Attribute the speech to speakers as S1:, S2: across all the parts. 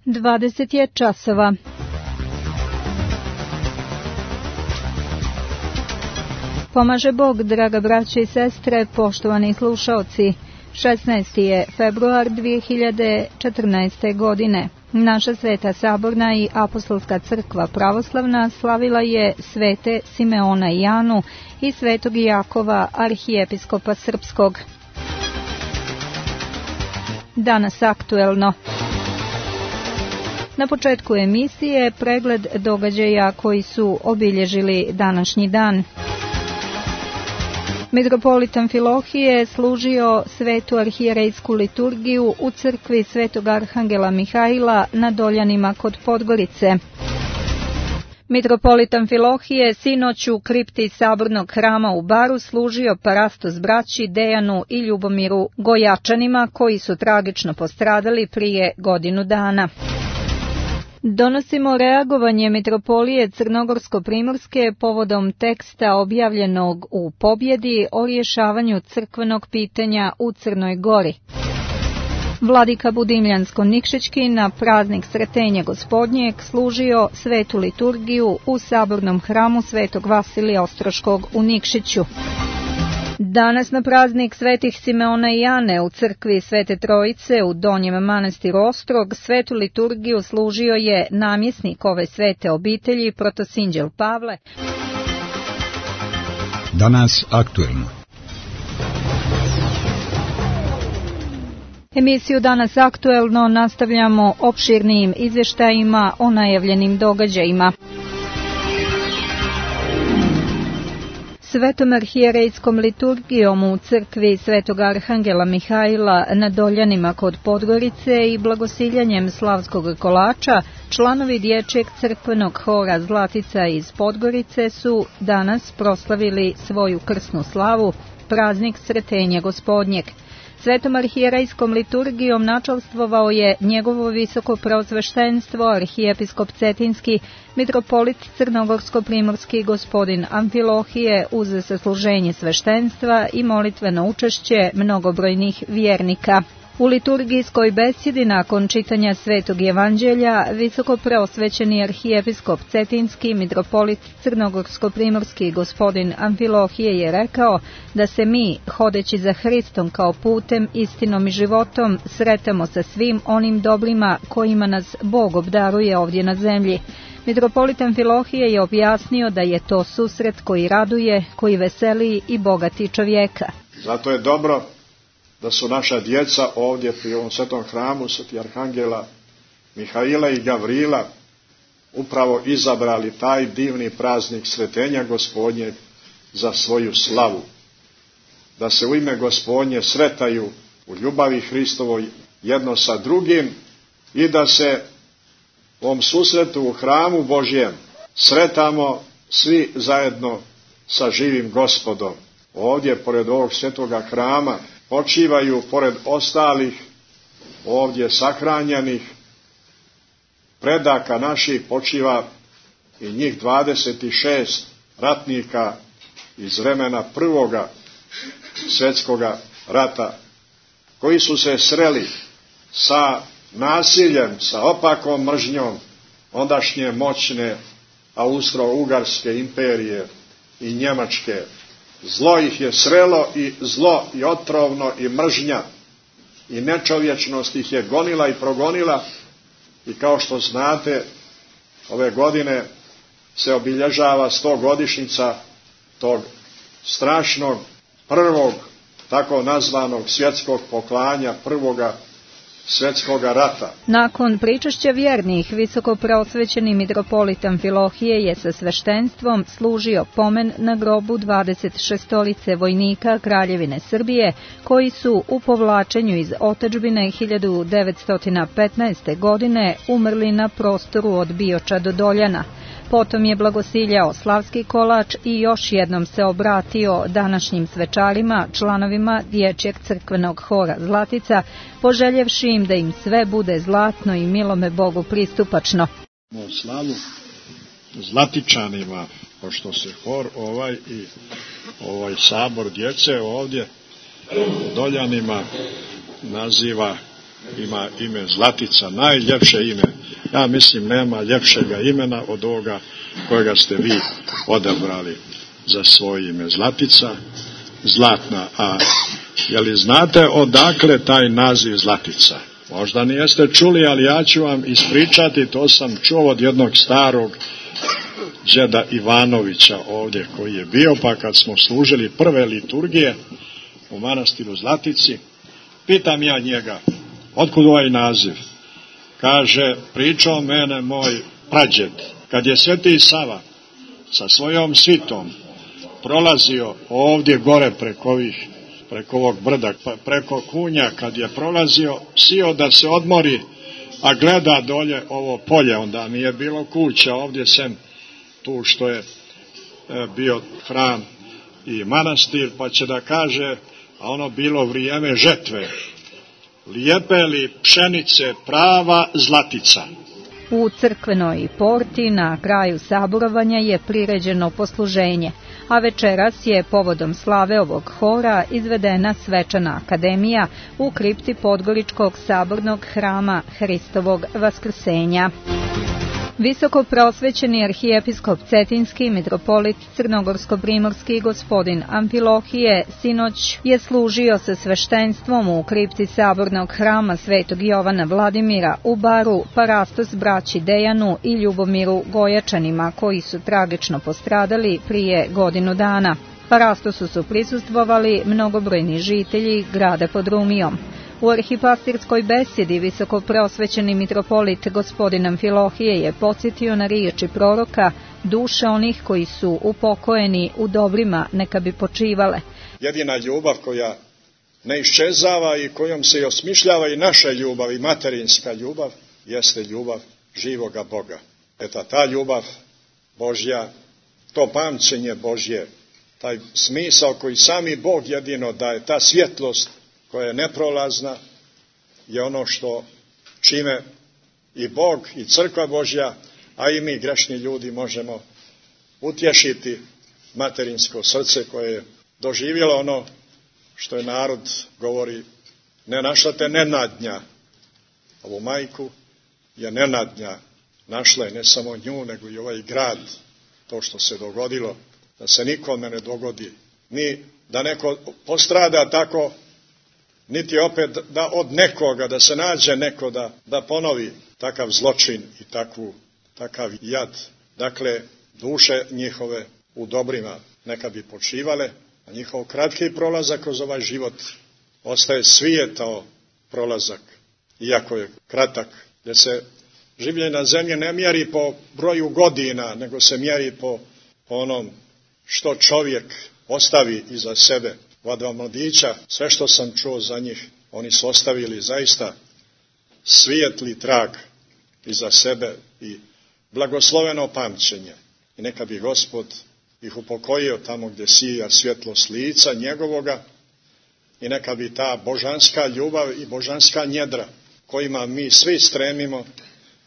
S1: 20 je časova. Pomaže Bog, draga braće i sestre, poštovani slušaoci. 16. je februar 2014. godine. Naša Sveta Saborna i Apostolska crkva pravoslavna slavila je svete Simeona i Anu i svetog Jakova, arhijepiskopa srpskog. Danas aktuelno. Na početku emisije pregled događaja koji su obilježili današnji dan. Mitropolit Amfilohije služio svetu arhijerejsku liturgiju u crkvi svetog arhangela Mihajla na Doljanima kod Podgorice. Mitropolit Amfilohije sinoć u kripti Sabornog hrama u Baru služio parastos braći Dejanu i Ljubomiru Gojačanima koji su tragično postradali prije godinu dana. Donosimo reagovanje Mitropolije Crnogorsko-Primorske povodom teksta objavljenog u Pobjedi o rješavanju crkvenog pitanja u Crnoj Gori. Vladika Budimljansko-Nikšićki na praznik Sretenja Gospodnjeg služio svetu liturgiju u Sabornom hramu svetog Vasilija Ostroškog u Nikšiću. Danas na praznik svetih Simeona i Ane u crkvi Svete Trojice u Donjem manastiru Ostrog svetu liturgiju služio je namjesnik ove svete obitelji protosinđel Pavle.
S2: Danas aktuelno.
S1: Emisiju Danas aktuelno nastavljamo opširnijim izvještajima o najavljenim događajima. Svetom arhijerejskom liturgijom u crkvi svetog arhangela Mihajla na Doljanima kod Podgorice i blagosiljanjem slavskog kolača, članovi dječjeg crkvenog hora Zlatica iz Podgorice su danas proslavili svoju krsnu slavu, praznik Sretenja Gospodnjeg. Svetom arhijerejskom liturgijom načalstvovao je njegovo visoko preosveštenstvo, arhijepiskop Cetinski, mitropolit Crnogorsko-Primorski gospodin Amfilohije uz sasluženje sveštenstva i molitveno učešće mnogobrojnih vjernika. U liturgijskoj besjedi nakon čitanja Svetog Evanđelja, visoko preosvećeni arhijepiskop Cetinski, mitropolit Crnogorsko-Primorski gospodin Amfilohije je rekao da se mi, hodeći za Hristom kao putem, istinom i životom, sretamo sa svim onim dobrima kojima nas Bog obdaruje ovdje na zemlji. Mitropolit Amfilohije je objasnio da je to susret koji raduje, koji veseli i bogati čovjeka.
S3: Zato je dobro da su naša djeca ovdje pri ovom svetom hramu sveti arhangela Mihaila i Gavrila upravo izabrali taj divni praznik Sretenja Gospodnjeg za svoju slavu. Da se u ime Gospodnje sretaju u ljubavi Hristovoj jedno sa drugim i da se u ovom susretu u hramu Božjem sretamo svi zajedno sa živim Gospodom. Ovdje, pored ovog svetoga hrama, počivaju pored ostalih ovdje sahranjenih predaka naših, počiva i njih 26 ratnika iz vremena prvoga svjetskoga rata, koji su se sreli sa nasiljem, sa opakom mržnjom ondašnje moćne Austro-Ugarske imperije i Njemačke. Zlo ih je srelo i zlo i otrovno i mržnja i nečovječnost ih je gonila i progonila i kao što znate ove godine se obilježava 100-godišnjica tog strašnog prvog tako nazvanog svjetskog poklanja, prvoga svjetskoga rata.
S1: Nakon pričašća vjernih, visoko preosvećeni mitropolit Amfilohije je sa sveštenstvom služio pomen na grobu 26 vojnika Kraljevine Srbije, koji su u povlačenju iz otadžbine 1915. godine umrli na prostoru od Bioča do Doljana. Potom je blagosiljao slavski kolač i još jednom se obratio današnjim svečarima, članovima dječjeg crkvenog hora Zlatica, poželjevši im da im sve bude zlatno i milome Bogu pristupačno.
S3: U slavu Zlatičanima, pošto se hor i sabor djece ovdje Doljanima naziva ima ime Zlatica, najljepše ime. Ja mislim nema ljepšega imena od ovoga kojega ste vi odabrali za svoje ime. Zlatica, zlatna. A je li znate odakle taj naziv Zlatica? Možda nijeste čuli, ali ja ću vam ispričati, to sam čuo od jednog starog džeda Ivanovića ovdje koji je bio, pa kad smo služili prve liturgije u manastiru Zlatici, pitam ja njega, otkud ovaj naziv? Kaže, pričao mene moj prađed, kad je Sveti Sava sa svojom svitom prolazio ovdje gore preko ovog brda, preko Kunja, kad je prolazio, sio da se odmori, a gleda dolje ovo polje, onda nije bilo kuća ovdje sem tu što je bio hram i manastir, pa će da kaže, a ono bilo vrijeme žetve, lijepe li pšenice prava Zlatica.
S1: U crkvenoj porti na kraju saborovanja je priređeno posluženje, a večeras je povodom slave ovog hora izvedena svečana akademija u kripti Podgoričkog sabornog hrama Hristovog Vaskrsenja. Visoko prosvećeni arhijepiskop Cetinski, mitropolit Crnogorsko-primorski gospodin Amfilohije sinoć je služio sa sveštenstvom u kripti sabornog hrama Svetog Jovana Vladimira u Baru parastos braći Dejanu i Ljubomiru Gojačanima, koji su tragično postradali prije godinu dana. Parastosu su prisustvovali mnogobrojni žitelji grada pod Rumijom. U arhipastirskoj besjedi visoko prosvećeni mitropolit gospodin Amfilohije je podsjetio na riječi proroka, duše onih koji su upokojeni u dobrima neka bi počivale.
S3: Jedina ljubav koja ne iščezava i kojom se osmišljava i naša ljubav i materinska ljubav jeste ljubav živoga Boga. Eto, ta ljubav Božja, to pamćenje Božje, taj smisao koji sami Bog jedino daje, ta svjetlost koja je neprolazna, je ono što čime i Bog i crkva Božja, a i mi grešni ljudi možemo utješiti materinsko srce koje je doživjelo ono što je narod govori, ne našla te nenadnja. Ovu majku je nenadnja našla, i ne samo nju, nego i ovaj grad, to što se dogodilo, da se nikome ne dogodi, ni da neko postrada tako, niti opet da od nekoga, da se nađe neko da ponovi takav zločin i takav jad. Dakle, duše njihove u dobrima neka bi počivale, a njihov kratki prolazak kroz ovaj život ostaje svijetao prolazak, iako je kratak, jer se življenje na zemlji ne mjeri po broju godina, nego se mjeri po onom što čovjek ostavi iza sebe. Ova dva mladića, sve što sam čuo za njih, oni su ostavili zaista svijetli trag iza sebe i blagosloveno pamćenje. I neka bi Gospod ih upokojio tamo gdje sija svjetlost lica njegovoga, i neka bi ta božanska ljubav i božanska njedra kojima mi svi stremimo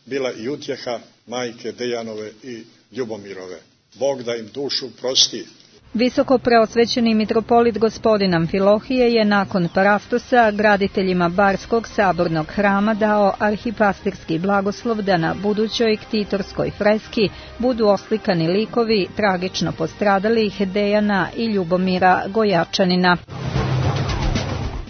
S3: bila i utjeha majke Dejanove i Ljubomirove. Bog da im dušu prosti.
S1: Visoko preosvećeni mitropolit gospodin Amfilohije je nakon parastosa graditeljima Barskog sabornog hrama dao arhipastirski blagoslov da na budućoj ktitorskoj freski budu oslikani likovi tragično postradalih Dejana i Ljubomira Gojačanina.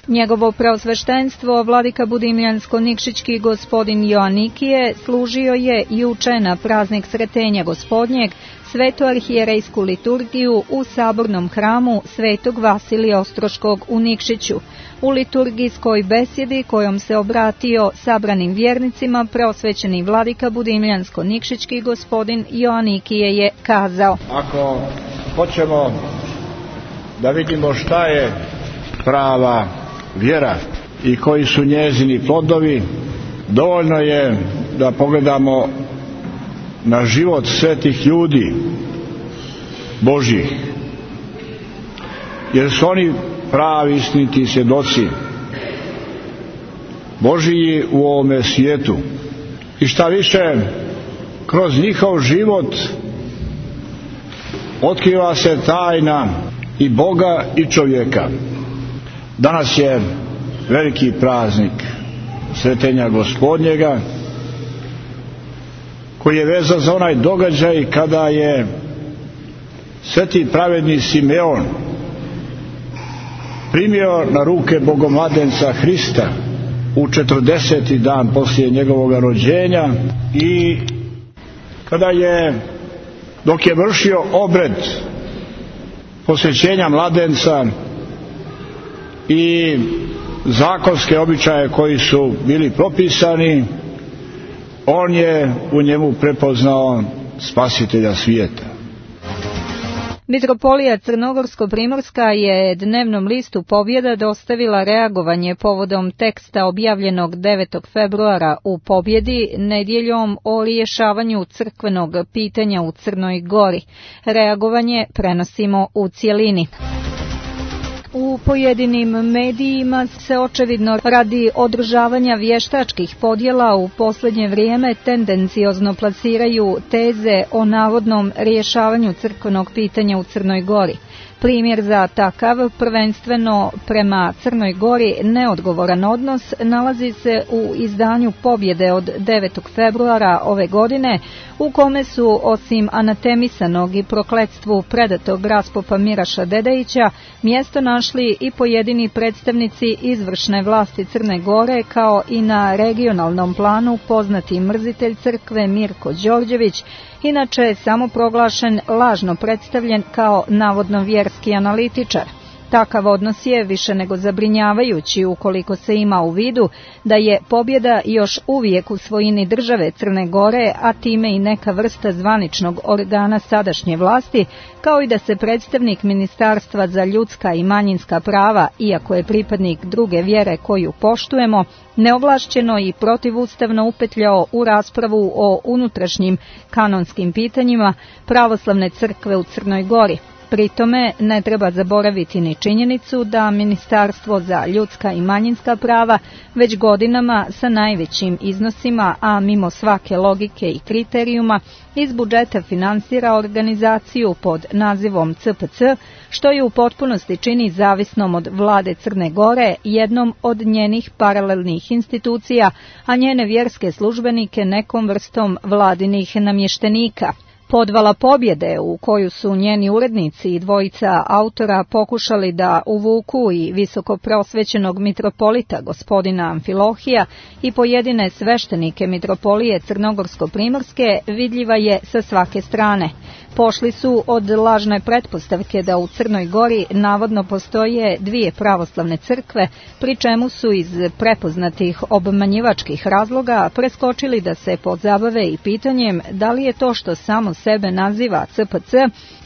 S1: Njegovo preosveštenstvo, vladika Budimljansko-Nikšićki gospodin Joanikije, služio je juče na praznik Sretenja Gospodnjeg svetu arhijerejsku liturgiju u sabornom hramu Svetog Vasilija Ostroškog u Nikšiću. U liturgijskoj besjedi kojom se obratio sabranim vjernicima, preosvećeni vladika Budimljansko-Nikšićki gospodin Joanikije je kazao:
S4: Ako hoćemo da vidimo šta je prava vjera i koji su njezini plodovi, dovoljno je da pogledamo na život svetih ljudi Božjih, jer su oni pravi istiniti svjedoci Božji u ovome svijetu. I šta više, kroz njihov život otkriva se tajna i Boga i čovjeka. Danas je veliki praznik Svetenja Gospodnjega, koji je vezan za onaj događaj kada je sveti pravedni Simeon primio na ruke Bogomladenca Hrista u 40. dan poslije njegovog rođenja i kada je, dok je vršio obred posvećenja mladenca i zakonske običaje koji su bili propisani, on je u njemu prepoznao spasitelja svijeta.
S1: Mitropolija Crnogorsko-primorska je dnevnom listu Pobjeda dostavila reagovanje povodom teksta objavljenog 9. februara u Pobjedi nedjeljom o rješavanju crkvenog pitanja u Crnoj Gori. Reagovanje prenosimo u cjelini. U pojedinim medijima se očevidno radi održavanja vještačkih podjela u posljednje vrijeme tendenciozno plasiraju teze o navodnom rješavanju crkvenog pitanja u Crnoj Gori. Primjer za takav, prvenstveno prema Crnoj Gori neodgovoran odnos, nalazi se u izdanju Pobjede od 9. februara ove godine, u kome su, osim anatemisanog i prokletstvu predatog raspopa Miraša Dedejića, mjesto našli i pojedini predstavnici izvršne vlasti Crne Gore, kao i na regionalnom planu poznati mrzitelj crkve Mirko Đorđević, inače samoproglašen lažno predstavljen kao navodno vjerski analitičar. Takav odnos je više nego zabrinjavajući ukoliko se ima u vidu da je Pobjeda još uvijek u svojini države Crne Gore, a time i neka vrsta zvaničnog organa sadašnje vlasti, kao i da se predstavnik Ministarstva za ljudska i manjinska prava, iako je pripadnik druge vjere koju poštujemo, neovlašćeno i protivustavno upetljao u raspravu o unutrašnjim kanonskim pitanjima pravoslavne crkve u Crnoj Gori. Pri tome ne treba zaboraviti ni činjenicu da Ministarstvo za ljudska i manjinska prava već godinama sa najvećim iznosima, a mimo svake logike i kriterijuma, iz budžeta finansira organizaciju pod nazivom CPC, što je u potpunosti čini zavisnom od vlade Crne Gore, jednom od njenih paralelnih institucija, a njene vjerske službenike nekom vrstom vladinih namještenika. Podvala Pobjede, u koju su njeni urednici i dvojica autora pokušali da uvuku i visoko prosvećenog mitropolita gospodina Amfilohija i pojedine sveštenike mitropolije Crnogorsko-primorske, vidljiva je sa svake strane. Pošli su od lažne pretpostavke da u Crnoj Gori navodno postoje dvije pravoslavne crkve, pri čemu su iz prepoznatih obmanjivačkih razloga preskočili da se pozabave i pitanjem da li je to što samo sebe naziva CPC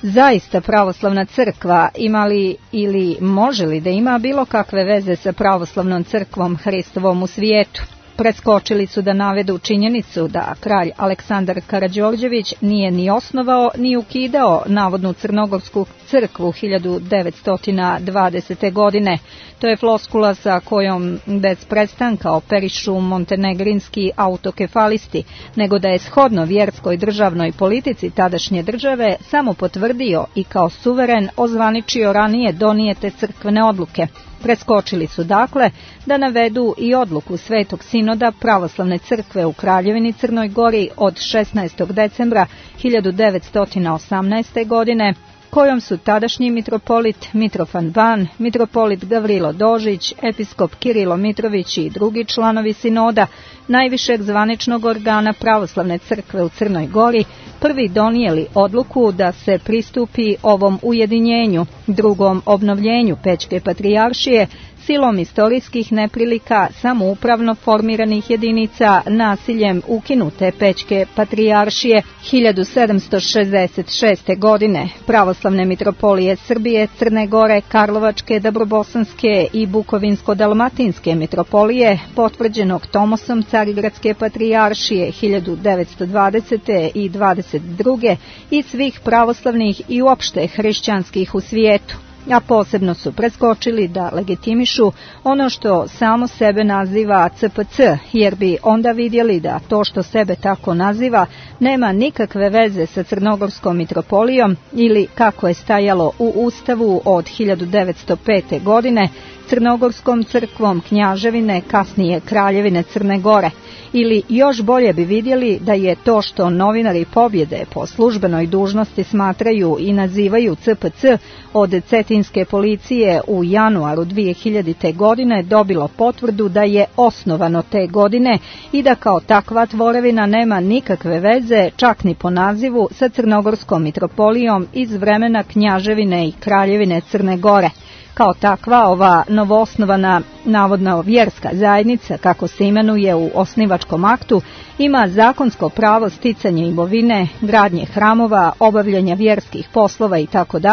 S1: zaista pravoslavna crkva, ima li ili može li da ima bilo kakve veze sa pravoslavnom crkvom Hristovom u svijetu. Preskočili su da navedu činjenicu da kralj Aleksandar Karađorđević nije ni osnovao ni ukidao navodnu crnogorsku crkvu 1920. godine. To je floskula sa kojom bez prestanka operišu montenegrinski autokefalisti, nego da je shodno vjerskoj državnoj politici tadašnje države samo potvrdio i kao suveren ozvaničio ranije donijete crkvene odluke. Preskočili su dakle da navedu i odluku Svetog sinoda pravoslavne crkve u Kraljevini Crnoj Gori od 16. decembra 1918. godine, kojom su tadašnji mitropolit Mitrofan Ban, mitropolit Gavrilo Dožić, episkop Kirilo Mitrović i drugi članovi sinoda, najvišeg zvaničnog organa pravoslavne crkve u Crnoj Gori, prvi donijeli odluku da se pristupi ovom ujedinjenju, drugom obnovljenju Pećke patrijaršije, silom istorijskih neprilika samoupravno formiranih jedinica nasiljem ukinute Pećke patrijaršije 1766. godine, pravoslavne mitropolije Srbije, Crne Gore, Karlovačke, Dabrobosanske i Bukovinsko-dalmatinske mitropolije, potvrđenog Tomosom Carigradske patrijaršije 1920. i 22. i svih pravoslavnih i uopšte hrišćanskih u svijetu. A posebno su preskočili da legitimišu ono što samo sebe naziva CPC, jer bi onda vidjeli da to što sebe tako naziva nema nikakve veze sa Crnogorskom mitropolijom ili, kako je stajalo u Ustavu od 1905. godine, Crnogorskom crkvom Knjaževine, kasnije Kraljevine Crne Gore. Ili još bolje bi vidjeli da je to što novinari Pobjede po službenoj dužnosti smatraju i nazivaju CPC od cetinske policije u januaru 2000. godine dobilo potvrdu da je osnovano te godine i da kao takva tvorevina nema nikakve veze, čak ni po nazivu, sa Crnogorskom mitropolijom iz vremena Knjaževine i Kraljevine Crne Gore. Kao takva, ova novoosnovana navodna vjerska zajednica, kako se imenuje u osnivačkom aktu, ima zakonsko pravo sticanja imovine, gradnje hramova, obavljanja vjerskih poslova itd.,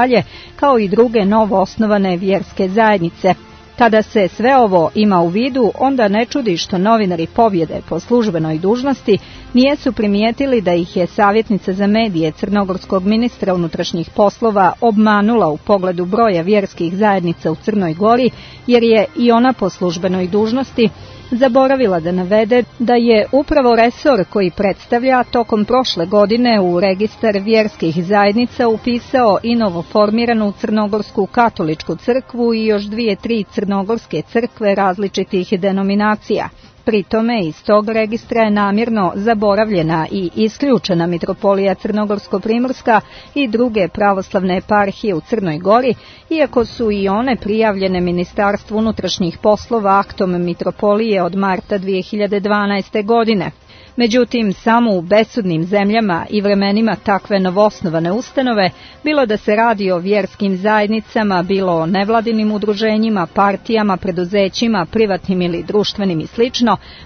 S1: kao i druge novoosnovane vjerske zajednice. Kada se sve ovo ima u vidu, onda ne čudi što novinari Pobjede po službenoj dužnosti nijesu primijetili da ih je savjetnica za medije crnogorskog ministra unutrašnjih poslova obmanula u pogledu broja vjerskih zajednica u Crnoj Gori, jer je i ona po službenoj dužnosti zaboravila da navede da je upravo resor koji predstavlja tokom prošle godine u registar vjerskih zajednica upisao i novoformiranu Crnogorsku katoličku crkvu i još 2-3 crnogorske crkve različitih denominacija. Pri tome iz tog registra je namjerno zaboravljena i isključena mitropolija Crnogorsko-Primorska i druge pravoslavne eparhije u Crnoj Gori, iako su i one prijavljene Ministarstvu unutrašnjih poslova aktom mitropolije od marta 2012. godine. Međutim, samo u besudnim zemljama i vremenima takve novoosnovane ustanove, bilo da se radi o vjerskim zajednicama, bilo o nevladinim udruženjima, partijama, preduzećima, privatnim ili društvenim i sl.,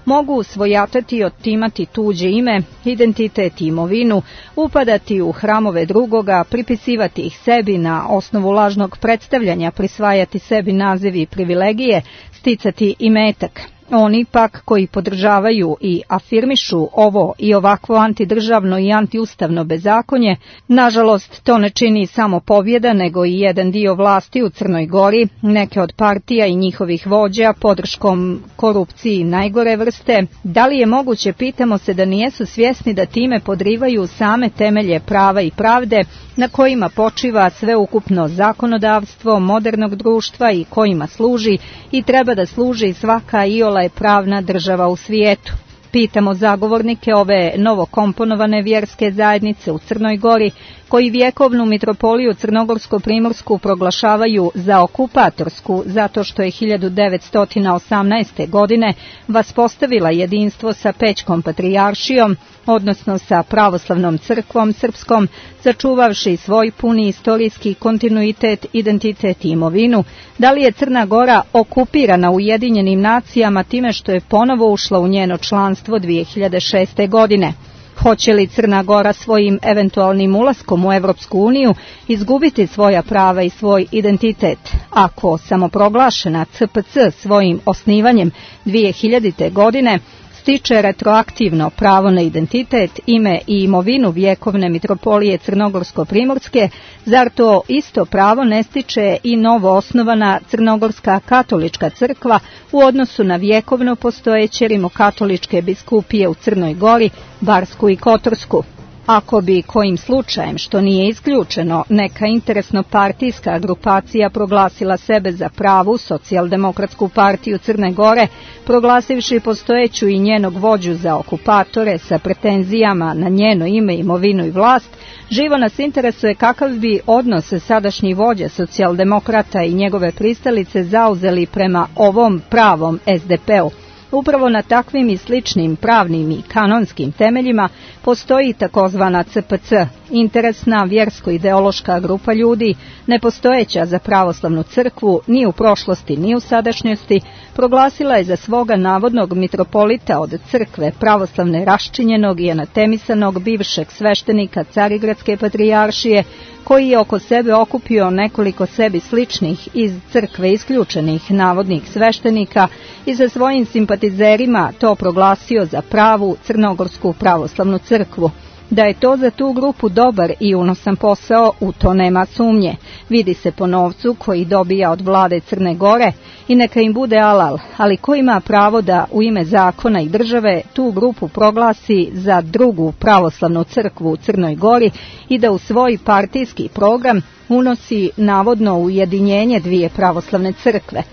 S1: mogu svojatati i otimati tuđe ime, identitet i imovinu, upadati u hramove drugoga, pripisivati ih sebi na osnovu lažnog predstavljanja, prisvajati sebi nazivi i privilegije, sticati imetak. Oni pak koji podržavaju i afirmišu ovo i ovakvo antidržavno i antiustavno bezakonje, nažalost to ne čini samo Pobjeda, nego i jedan dio vlasti u Crnoj Gori, neke od partija i njihovih vođa podrškom korupciji najgore vrste. Da li je moguće, pitamo se, da nijesu svjesni da time podrivaju same temelje prava i pravde na kojima počiva sveukupno zakonodavstvo modernog društva i kojima služi i treba da služi svaka iole pravna država u svijetu. Pitamo zagovornike ove novokomponovane vjerske zajednice u Crnoj Gori, koji vjekovnu mitropoliju Crnogorsko-Primorsku proglašavaju za okupatorsku zato što je 1918. godine vaspostavila jedinstvo sa Pećkom patrijaršijom, odnosno sa pravoslavnom crkvom srpskom, sačuvavši svoj puni istorijski kontinuitet, identitet i imovinu. Da li je Crna Gora okupirana Ujedinjenim nacijama time što je ponovo ušla u njeno članstvo 2006. godine? Hoće li Crna Gora svojim eventualnim ulaskom u Evropsku uniju izgubiti svoja prava i svoj identitet? Ako samoproglašena CPC svojim osnivanjem 2000. godine stiče retroaktivno pravo na identitet, ime i imovinu vjekovne mitropolije Crnogorsko-Primorske, zar to isto pravo ne stiče i novo osnovana Crnogorska katolička crkva u odnosu na vjekovno postojeće rimokatoličke biskupije u Crnoj Gori, Barsku i Kotorsku? Ako bi kojim slučajem, što nije isključeno, neka interesno-partijska grupacija proglasila sebe za pravu socijaldemokratsku partiju Crne Gore, proglasivši postojeću i njenog vođu za okupatore sa pretenzijama na njeno ime, imovinu i vlast, živo nas interesuje kakav bi odnos sadašnji vođa socijaldemokrata i njegove pristalice zauzeli prema ovom pravom SDP-u. Upravo na takvim i sličnim pravnim i kanonskim temeljima postoji takozvana CPC, interesna vjersko-ideološka grupa ljudi, nepostojeća za pravoslavnu crkvu ni u prošlosti ni u sadašnjosti, proglasila je za svoga navodnog mitropolita od crkve pravoslavne raščinjenog i anatemisanog bivšeg sveštenika Carigradske patrijaršije, koji je oko sebe okupio nekoliko sebi sličnih iz crkve isključenih navodnih sveštenika i sa svojim simpatizerima to proglasio za pravu crnogorsku pravoslavnu crkvu. Da je to za tu grupu dobar i unosan posao, u to nema sumnje. Vidi se po novcu koji dobija od vlade Crne Gore i neka im bude alal, ali ko ima pravo da u ime zakona i države tu grupu proglasi za drugu pravoslavnu crkvu u Crnoj Gori i da u svoj partijski program unosi navodno ujedinjenje dvije pravoslavne crkve?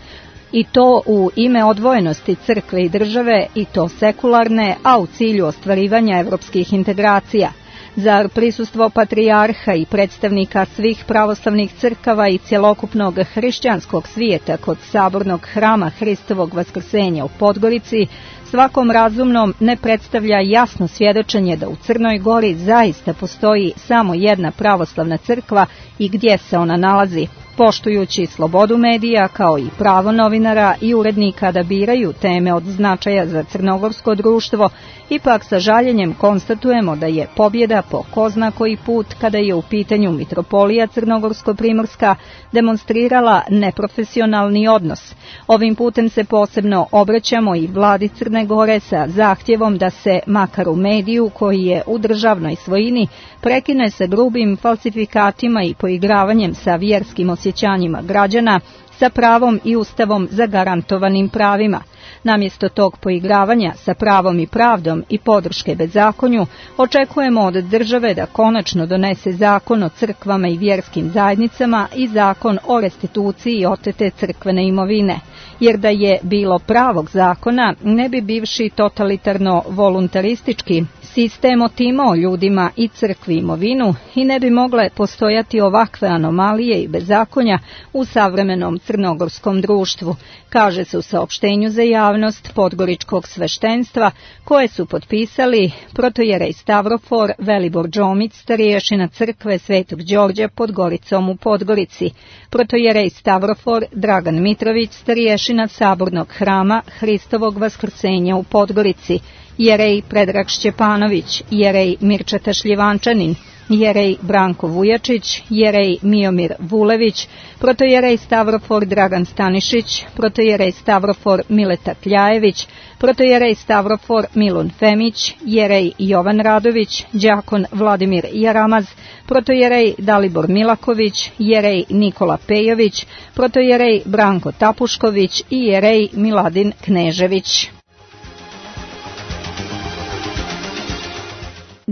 S1: I to u ime odvojenosti crkve i države, i to sekularne, a u cilju ostvarivanja evropskih integracija. Zar prisustvo patrijarha i predstavnika svih pravoslavnih crkava i cjelokupnog hrišćanskog svijeta kod sabornog hrama Hristovog vaskrsenja u Podgorici svakom razumnom ne predstavlja jasno svjedočenje da u Crnoj Gori zaista postoji samo jedna pravoslavna crkva i gdje se ona nalazi? Poštujući slobodu medija kao i pravo novinara i urednika da biraju teme od značaja za crnogorsko društvo, ipak sa žaljenjem konstatujemo da je pobjeda po ko zna koji put, kada je u pitanju mitropolija Crnogorsko-Primorska, demonstrirala neprofesionalni odnos. Ovim putem se posebno obraćamo i vladi Crne Gore sa zahtjevom da se, makar u mediju koji je u državnoj svojini, prekine sa grubim falsifikatima i poigravanjem sa vjerskim osjećanjima građana, sa pravom i ustavom zagarantovanim pravima. Namjesto tog poigravanja sa pravom i pravdom i podrške bezakonju, očekujemo od države da konačno donese zakon o crkvama i vjerskim zajednicama i zakon o restituciji otete crkvene imovine. Jer da je bilo pravog zakona, ne bi bivši totalitarno-voluntaristički sistem otimao ljudima i crkvi imovinu i ne bi mogle postojati ovakve anomalije i bezakonja u savremenom crnogorskom društvu, kaže se u saopštenju za javnost podgoričkog sveštenstva koje su potpisali protojerej Stavrofor Velibor Džomić, starješina crkve Svetog Đorđa pod Goricom u Podgorici, protojerej Stavrofor Dragan Mitrović, starješina sabornog hrama Hristovog vaskrsenja u Podgorici, jerej Predrag Šćepanović, jerej Mirčeta Šljivančanin, jerej Branko Vujačić, jerej Miomir Vulević, protojerej Stavrofor Dragan Stanišić, protojerej Stavrofor Mileta Kljajević, protojerej Stavrofor Milun Femić, jerej Jovan Radović, đakon Vladimir Jaramaz, protojerej Dalibor Milaković, jerej Nikola Pejović, protojerej Branko Tapušković i jerej Miladin Knežević.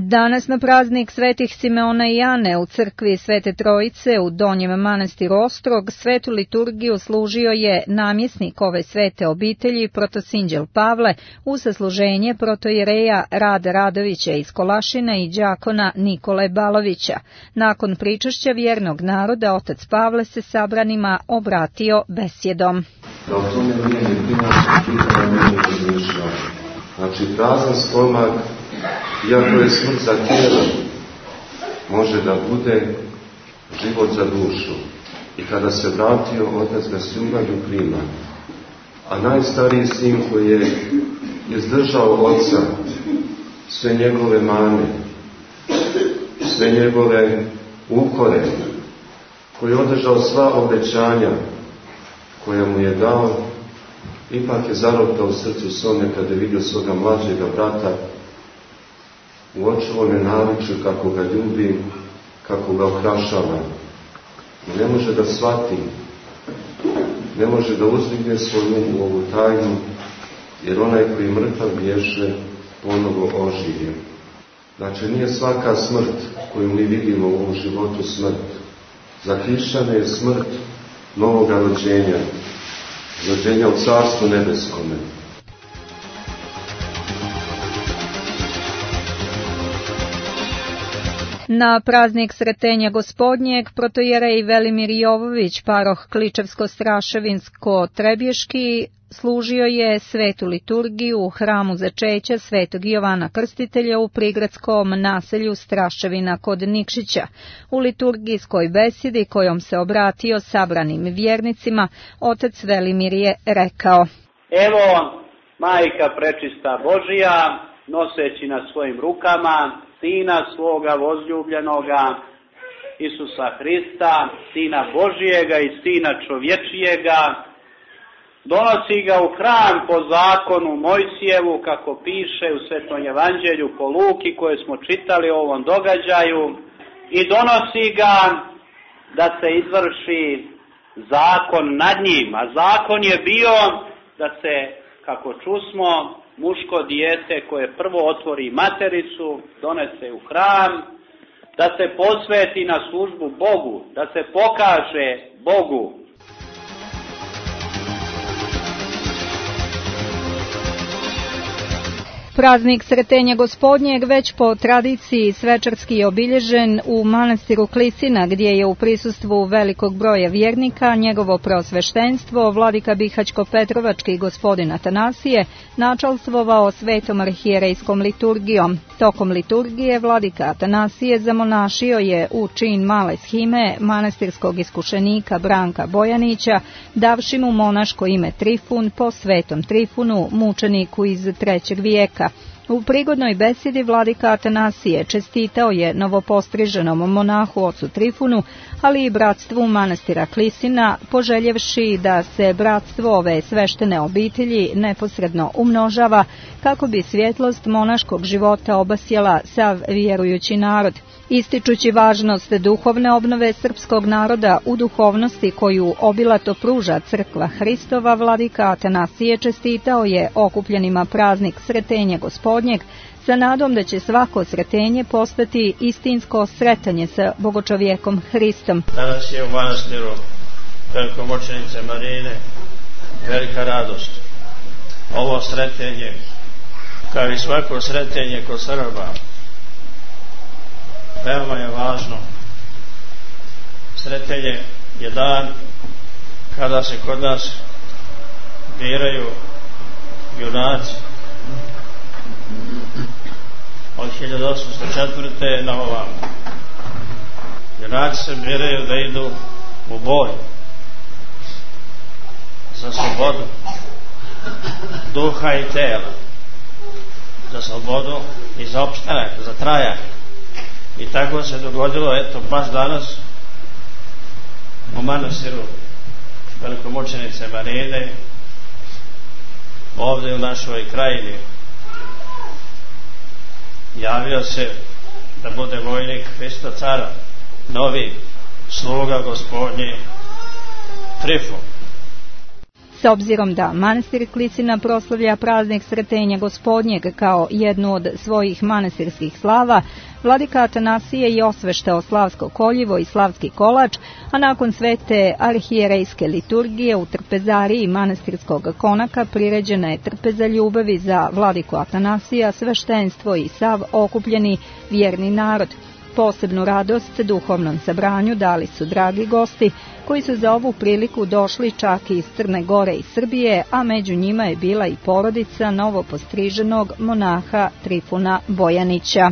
S1: Danas na praznik svetih Simeona i Ane u crkvi Svete Trojice u Donjem manastiru Ostrog svetu liturgiju služio je namjesnik ove svete obitelji protosinđel Pavle u sasluženje protojereja Rada Radovića iz Kolašina i đakona Nikole Balovića. Nakon pričašća vjernog naroda otac Pavle se sabranima obratio besjedom.
S5: Da o tome nije ni pitanje nije razmišljao. Znači prazan stomak, iako je smrt za tijelo, može da bude život za dušu. I kada se vratio, otac ga s ljubavlju prima. A najstariji sin koji je izdržao oca, sve njegove mane, sve njegove ukore, koji je održao sva obećanja koja mu je dao, ipak je zarotao u srcu svome kada je vidio svoga mlađega brata, u očuvome naviču kako ga ljubi, kako ga okrašava. I ne može da shvati, ne može da uzdigne svoju u ovu tajnu, jer onaj koji mrtav bješe ponovo oživje. Znači, nije svaka smrt koju mi vidimo u ovom životu smrt. Za hrišćane je smrt novoga rođenja, rođenja u Carstvu nebeskome.
S1: Na praznik Sretenja Gospodnjeg protojerej Velimir Jovović, paroh Kličevsko-Straševinsko-Trebješki, služio je svetu liturgiju u hramu začeća Svetog Jovana Krstitelja u prigradskom naselju Straševina kod Nikšića. U liturgijskoj besedi kojom se obratio sabranim vjernicima, otac Velimir je rekao:
S6: Evo, Majka prečista Božija, noseći na svojim rukama Sina svoga возljubljenoga, Isusa Hrista, Sina Božijega i Sina čovječijega, donosi ga u hram po zakonu Mojsijevu, kako piše u Svetom Evanđelju po Luki koje smo čitali o ovom događaju, i donosi ga da se izvrši zakon nad njim. A zakon je bio da se, kako čusmo, muško dijete koje prvo otvori matericu, donese u hram, da se posveti na službu Bogu, da se pokaže Bogu.
S1: Praznik Sretenja Gospodnjeg već po tradiciji svečarski je obilježen u manastiru Klisina, gdje je u prisustvu velikog broja vjernika njegovo preosveštenstvo, vladika Bihaćko-Petrovački gospodin Atanasije, načalstvovao svetom arhijerejskom liturgijom. Tokom liturgije vladika Atanasije zamonašio je u čin male shime manastirskog iskušenika Branka Bojanića, davši mu monaško ime Trifun po svetom Trifunu, mučeniku iz 3. vijeka. U prigodnoj besedi vladika Atanasije čestitao je novopostriženom monahu ocu Trifunu, ali i bratstvu manastira Klisina, poželjevši da se bratstvo ove sveštene obitelji neposredno umnožava, kako bi svjetlost monaškog života obasjala sav vjerujući narod. Ističući važnost duhovne obnove srpskog naroda u duhovnosti koju obilato pruža crkva Hristova, vladika Atanasije čestitao je okupljenima praznik Sretenja Gospodnjeg, sa nadom da će svako sretenje postati istinsko sretanje sa bogočovjekom Hristom.
S7: Danas je u manastiru velikomučenice Marine velika radost. Ovo sretenje, kao i svako sretenje kod Srba, veoma je važno. Sretenje je dan kada se kod nas biraju junaci od 1804. na ovamo. Junaci se biraju da idu u boj za slobodu duha i tela, za slobodu i za opstanak, za trajanje. I tako se dogodilo, eto, baš danas u manastiru velikomučenice Marine, ovdje u našoj krajini. Javio se da bude vojnik Hrista cara, novi sluga Gospodnji Trifun.
S1: S obzirom da manastir Klisina proslavlja praznik Sretenja Gospodnjeg kao jednu od svojih manastirskih slava, vladika Atanasije je osveštao slavsko koljivo i slavski kolač, a nakon svete arhijerejske liturgije u trpezariji manastirskog konaka priređena je trpeza ljubavi za vladiku Atanasija, sveštenstvo i sav okupljeni vjerni narod. Posebnu radost duhovnom sabranju dali su dragi gosti, koji su za ovu priliku došli čak iz Crne Gore i Srbije, a među njima je bila i porodica novopostriženog monaha Trifuna Bojanića.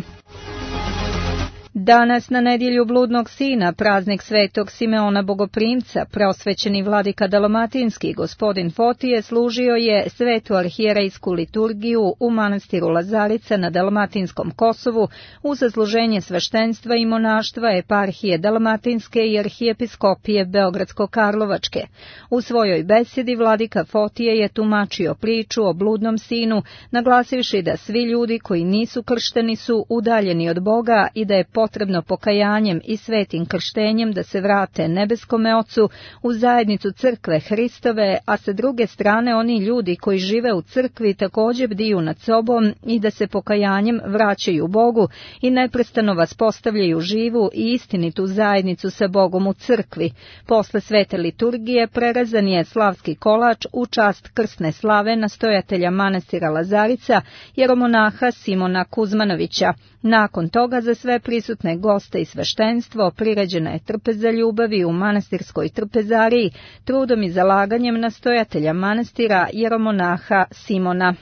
S1: Danas na nedjelju bludnog sina, praznik svetog Simeona Bogoprimca, preosvećeni vladika Dalmatinski gospodin Fotije služio je svetu arhijerejsku liturgiju u manastiru Lazarica na Dalmatinskom Kosovu u zasluženje sveštenstva i monaštva eparhije Dalmatinske i arhijepiskopije Beogradsko-Karlovačke. U svojoj besedi vladika Fotije je tumačio priču o bludnom sinu, naglasivši da svi ljudi koji nisu kršteni su udaljeni od Boga i da je potrebno pokajanjem i svetim krštenjem da se vrate nebeskome Ocu u zajednicu crkve Hristove, a sa druge strane oni ljudi koji žive u crkvi također bdiju nad sobom i da se pokajanjem vraćaju Bogu i neprestano vaspostavljaju živu i istinitu zajednicu sa Bogom u crkvi. Posle svete liturgije prerezan je slavski kolač u čast krsne slave nastojatelja manastira Lazarica, jeromonaha Simona Kuzmanovića. Nakon toga za sve prisutne goste i sveštenstvo priređena je trpeza ljubavi u manastirskoj trpezariji, trudom i zalaganjem nastojatelja manastira jeromonaha Simona.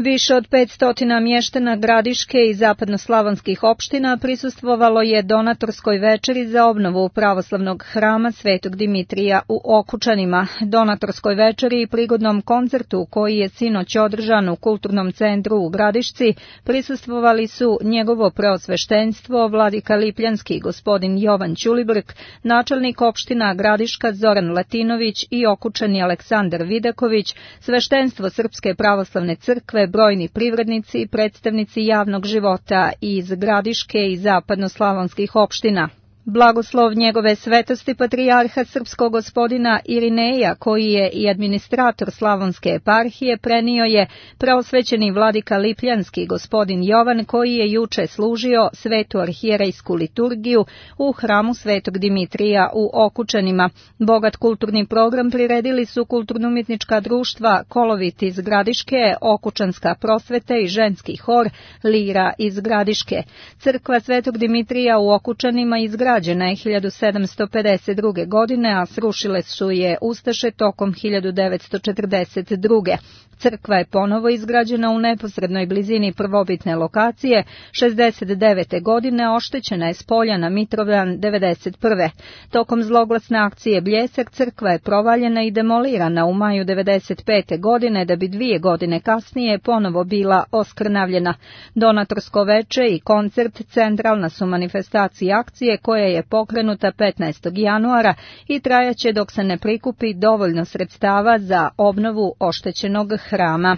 S1: Više od 500 mještana Gradiške i zapadnoslavonskih opština prisustvovalo je donatorskoj večeri za obnovu pravoslavnog hrama Svetog Dimitrija u Okučanima. Donatorskoj večeri i prigodnom koncertu koji je sinoć održan u Kulturnom centru u Gradišci prisustvovali su njegovo preosveštenstvo vladika Lipljanski gospodin Jovan Ćulibrk, načelnik opština Gradiška Zoran Latinović i Okučani Aleksandar Vidaković, sveštenstvo Srpske pravoslavne crkve, brojni privrednici i predstavnici javnog života iz Gradiške i zapadnoslavonskih opština. Blagoslov njegove svetosti patrijarha srpskog gospodina Irineja, koji je i administrator Slavonske eparhije, prenio je preosvećeni vladika Lipljanski gospodin Jovan, koji je juče služio svetu arhijerejsku liturgiju u hramu Svetog Dimitrija u Okučanima. Bogat kulturni program priredili su kulturno-umjetnička društva Kolovit iz Gradiške, Okučanska prosveta i ženski hor Lira iz Gradiške. Crkva Svetog Dimitrija u Okučanima izgrađena je 1752. godine, a srušile su je Ustaše tokom 1942. Crkva je ponovo izgrađena u neposrednoj blizini prvobitne lokacije 69. godine, oštećena je s polja na Mitrovdan 91. Tokom zloglasne akcije Bljesak crkva je provaljena i demolirana u maju 95. godine, da bi 2 godine kasnije ponovo bila oskrnavljena. Donatorsko veče i koncert centralna su manifestacija akcije koja je pokrenuta 15. januara i trajaće dok se ne prikupi dovoljno sredstava za obnovu oštećenog hrama.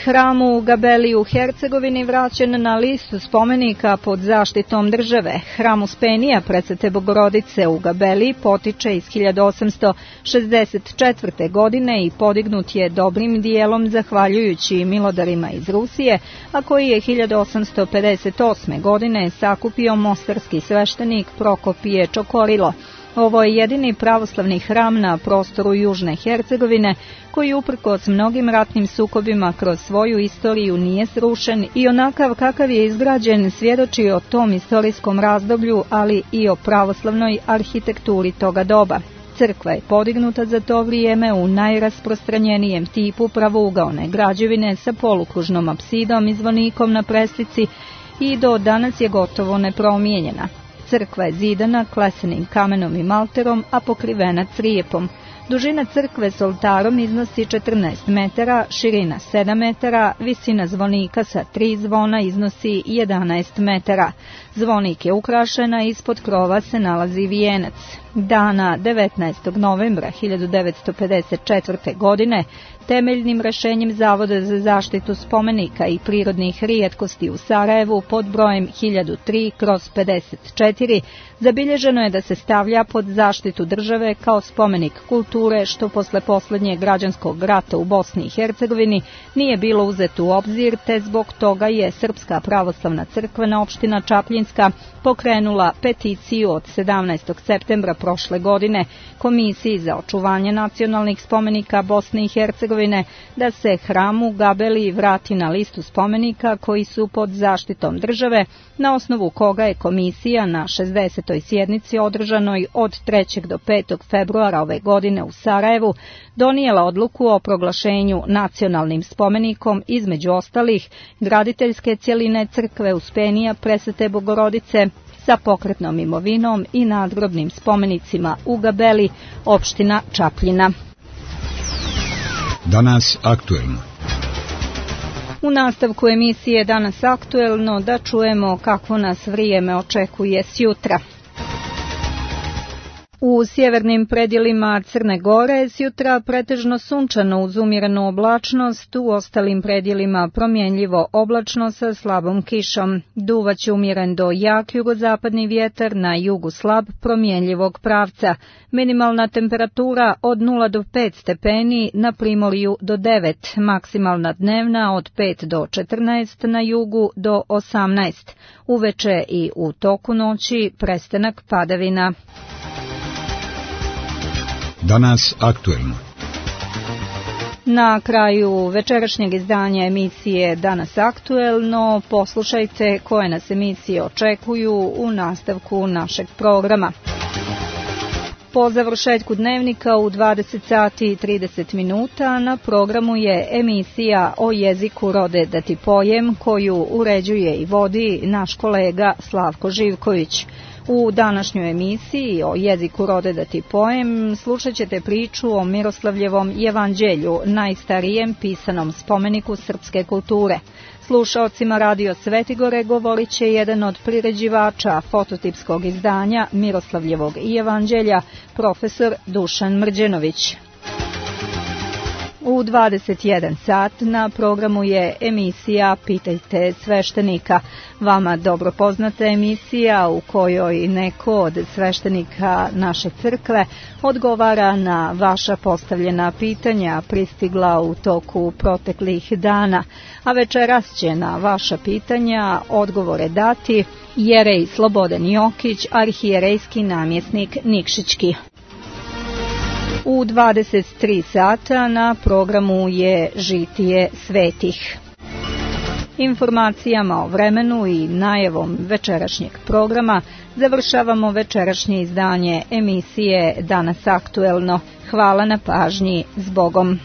S1: Hram u Gabeli u Hercegovini vraćen na listu spomenika pod zaštitom države. Hram Uspenija Presvete Bogorodice u Gabeli potiče iz 1864. godine i podignut je dobrim dijelom zahvaljujući milodarima iz Rusije, a koji je 1858. godine sakupio mostarski sveštenik Prokopije Čokorilo. Ovo je jedini pravoslavni hram na prostoru Južne Hercegovine koji uprkos mnogim ratnim sukobima kroz svoju istoriju nije srušen i onakav kakav je izgrađen svjedoči o tom istorijskom razdoblju, ali i o pravoslavnoj arhitekturi toga doba. Crkva je podignuta za to vrijeme u najrasprostranjenijem tipu pravougaone građevine sa polukružnom apsidom i zvonikom na preslici i do danas je gotovo nepromijenjena. Crkva je zidana klesenim kamenom i malterom, a pokrivena crijepom. Dužina crkve s oltarom iznosi 14 metara, širina 7 metara, visina zvonika sa 3 zvona iznosi 11 metara. Zvonik je ukrašena, ispod krova se nalazi vijenac. Dana 19. novembra 1954. godine temeljnim rješenjem Zavoda za zaštitu spomenika i prirodnih rijetkosti u Sarajevu pod brojem 1003/54 zabilježeno je da se stavlja pod zaštitu države kao spomenik kulture, što posle posljednjeg građanskog rata u Bosni i Hercegovini nije bilo uzeto u obzir, te zbog toga je Srpska pravoslavna crkvena opština Čapljinska pokrenula peticiju od 17. septembra prošle godine Komisiji za očuvanje nacionalnih spomenika Bosne i Hercegovine da se hram u Gabeli vrati na listu spomenika koji su pod zaštitom države, na osnovu koga je komisija na 60. sjednici održanoj od 3. do 5. februara ove godine u Sarajevu donijela odluku o proglašenju nacionalnim spomenikom, između ostalih graditeljske cjeline crkve Uspenija Presvete Bogorodice sa pokretnom imovinom i nadgrobnim spomenicima u Gabeli, opština Čapljina.
S2: Danas aktuelno.
S1: U nastavku emisije Danas aktuelno da čujemo kakvo nas vrijeme očekuje sjutra. U sjevernim predjelima Crne Gore sjutra pretežno sunčano uz umjerenu oblačnost, u ostalim predjelima promjenljivo oblačno sa slabom kišom. Duvaće umjeren do jak jugozapadni vjetar, na jugu slab promjenljivog pravca. Minimalna temperatura od 0 do 5 stepeni, na primorju do 9, maksimalna dnevna od 5 do 14, na jugu do 18. Uveče i u toku noći prestanak padavina.
S2: Danas aktuelno.
S1: Na kraju večerašnjeg izdanja emisije Danas aktuelno poslušajte koje nas emisije očekuju u nastavku našeg programa. Po završetku dnevnika u 20 sati i 30 minuta na programu je emisija o jeziku Rode da ti pojem, koju uređuje i vodi naš kolega Slavko Živković. U današnjoj emisiji o jeziku Rode da ti pojem slušat ćete priču o Miroslavljevom jevanđelju, najstarijem pisanom spomeniku srpske kulture. Slušaocima Radio Svetigore govorit će jedan od priređivača fototipskog izdanja Miroslavljevog jevanđelja, profesor Dušan Mrđenović. U 21 sat na programu je emisija Pitajte sveštenika. Vama dobro poznata emisija u kojoj neko od sveštenika naše crkve odgovara na vaša postavljena pitanja pristigla u toku proteklih dana. A večeras će na vaša pitanja odgovore dati jerej Slobodan Jokić, arhijerejski namjesnik Nikšićki. U 23 sata na programu je Žitije svetih. Informacijama o vremenu i najavom večerašnjeg programa završavamo večerašnje izdanje emisije Danas aktuelno. Hvala na pažnji, s Bogom.